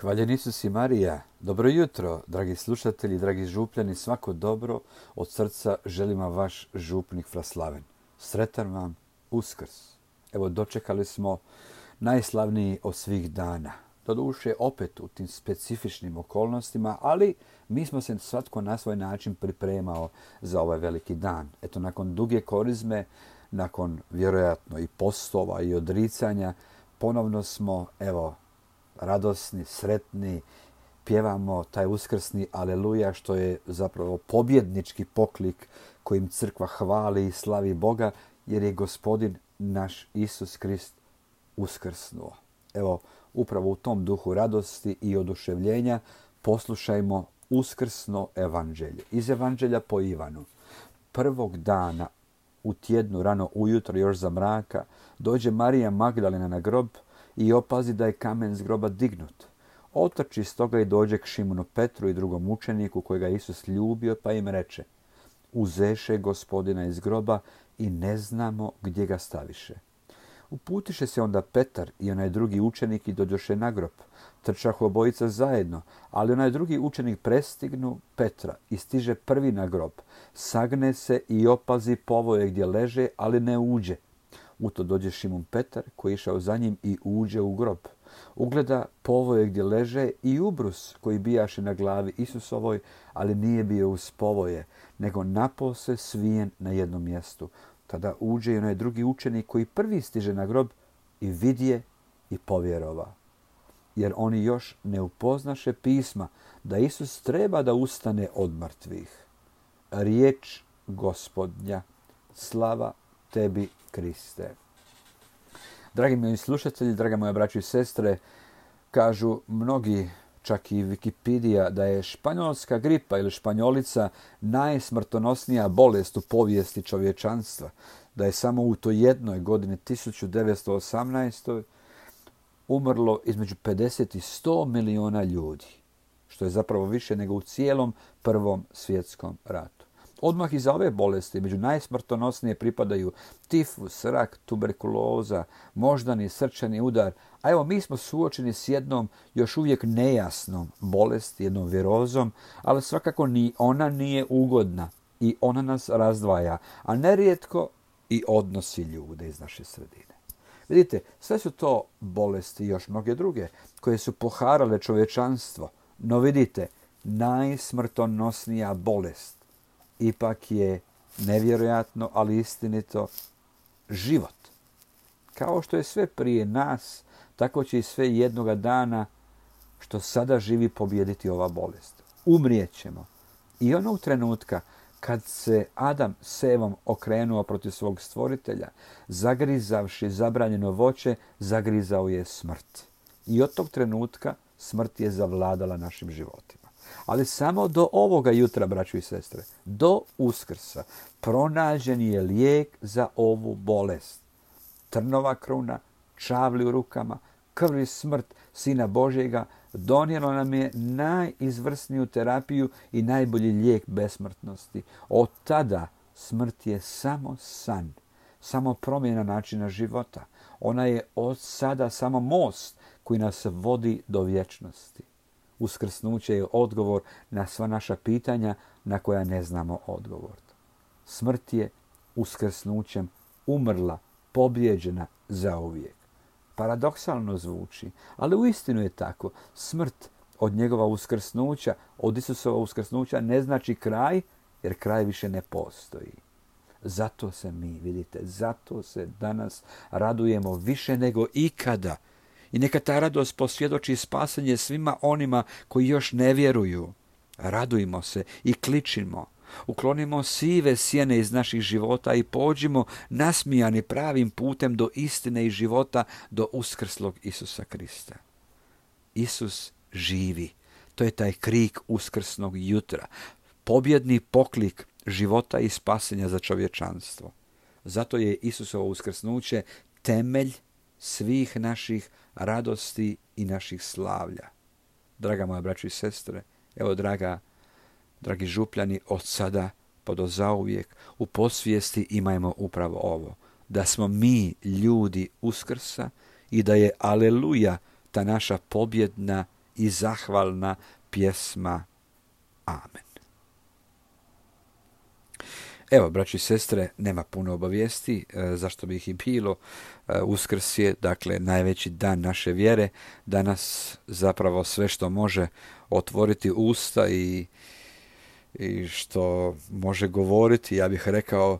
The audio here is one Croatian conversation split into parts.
Hvaljen Isus i Marija. Dobro jutro, dragi slušatelji, dragi župljani, svako dobro od srca želim vam vaš župnik Fraslaven. Sretan vam Uskrs. Evo, dočekali smo najslavniji od svih dana. Doduše opet u tim specifičnim okolnostima, ali mi smo se svatko na svoj način pripremao za ovaj veliki dan. Eto, nakon duge korizme, nakon vjerojatno i postova i odricanja, ponovno smo, evo, radosni, sretni, pjevamo taj uskrsni aleluja, što je zapravo pobjednički poklik kojim crkva hvali i slavi Boga, jer je Gospodin naš Isus Krist uskrsnuo. Evo, upravo u tom duhu radosti i oduševljenja poslušajmo uskrsno evanđelje. Iz evanđelja po Ivanu. Prvog dana u tjednu, rano ujutro, još za mraka, dođe Marija Magdalena na grob i opazi da je kamen s groba dignut. Otrči stoga i dođe k Šimunu Petru i drugom učeniku kojega je Isus ljubio, pa im reče: Uzeše Gospodina iz groba i ne znamo gdje ga staviše. Uputiše se onda Petar i onaj drugi učenik i dođoše na grob. Trčahu obojica zajedno, ali onaj drugi učenik prestignu Petra i stiže prvi na grob. Sagne se i opazi povoje gdje leže, ali ne uđe. U to dođe Šimun Petar, koji je išao za njim, i uđe u grob. Ugleda povoje gdje leže i ubrus koji bijaše na glavi Isusovoj, ali nije bio uz povoje, nego napose svijen na jednom mjestu. Tada uđe i onaj drugi učenik koji prvi stiže na grob i vidje i povjerova. Jer oni još ne upoznaše pisma da Isus treba da ustane od mrtvih. Riječ Gospodnja. Slava tebi, Kriste. Dragi moji slušatelji, draga moja braćo i sestre, kažu mnogi, čak i Wikipedija, da je španjolska gripa ili španjolica najsmrtonosnija bolest u povijesti čovječanstva. Da je samo u toj jednoj godini 1918. umrlo između 50 i 100 miliona ljudi, što je zapravo više nego u cijelom Prvom svjetskom ratu. Odmah iza ove bolesti među najsmrtonosnije pripadaju tifus, rak, tuberkuloza, moždani, srčani udar. A evo, mi smo suočeni s jednom još uvijek nejasnom bolesti, jednom virozom, ali svakako ni ona nije ugodna i ona nas razdvaja, a nerijetko i odnosi ljude iz naše sredine. Vidite, sve su to bolesti i još mnoge druge koje su poharale čovječanstvo. No vidite, najsmrtonosnija bolest ipak je, nevjerojatno, ali istinito, život. Kao što je sve prije nas, tako će i sve jednoga dana što sada živi pobijediti ova bolest. Umrijećemo. I onog trenutka kad se Adam s Evom okrenuo protiv svog stvoritelja, zagrizavši zabranjeno voće, zagrizao je smrt. I od tog trenutka smrt je zavladala našim životima. Ali samo do ovoga jutra, braćo i sestre, do Uskrsa, pronađen je lijek za ovu bolest. Trnova kruna, čavli u rukama, krv i smrt Sina Božjega donijelo nam je najizvrsniju terapiju i najbolji lijek besmrtnosti. Od tada smrt je samo san, samo promjena načina života. Ona je od sada samo most koji nas vodi do vječnosti. Uskrsnuće je odgovor na sva naša pitanja na koja ne znamo odgovor. Smrt je uskrsnućem umrla, pobjeđena zauvijek. Paradoksalno zvuči, ali uistinu je tako. Smrt od njegova uskrsnuća, od Isusova uskrsnuća ne znači kraj, jer kraj više ne postoji. Zato se mi, vidite, zato se danas radujemo više nego ikada. I neka ta radost posvjedoči spasenje svima onima koji još ne vjeruju. Radujmo se i kličimo. Uklonimo sive sjene iz naših života i pođimo nasmijani pravim putem do istine i života, do uskrslog Isusa Krista. Isus živi. To je taj krik uskrsnog jutra. Pobjedni poklik života i spasenja za čovječanstvo. Zato je Isusovo uskrsnuće temelj svih naših radosti i naših slavlja. Draga moja braćo i sestre, evo dragi župljani, od sada pa do zauvijek u podsvijesti imajmo upravo ovo, da smo mi ljudi Uskrsa i da je aleluja ta naša pobjedna i zahvalna pjesma. Amen. Evo, braći i sestre, nema puno obavijesti, zašto bi ih i bilo. Uskrs je, dakle, najveći dan naše vjere. Danas zapravo sve što može otvoriti usta i što može govoriti, ja bih rekao,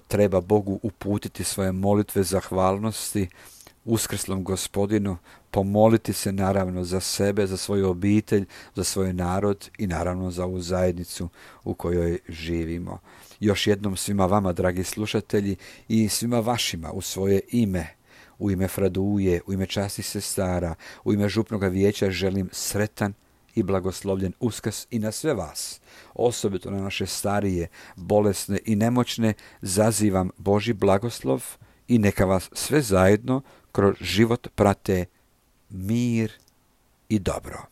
treba Bogu uputiti svoje molitve zahvalnosti uskrslom Gospodinu, pomoliti se naravno za sebe, za svoju obitelj, za svoj narod i naravno za ovu zajednicu u kojoj živimo. Još jednom svima vama, dragi slušatelji, i svima vašima u svoje ime, u ime Fraduje, u ime časnih sestara, u ime župnoga vijeća želim sretan i blagoslovljen Uskrs i na sve vas, osobito na naše starije, bolesne i nemoćne, zazivam Božji blagoslov i neka vas sve zajedno kroz život prate mir i dobro.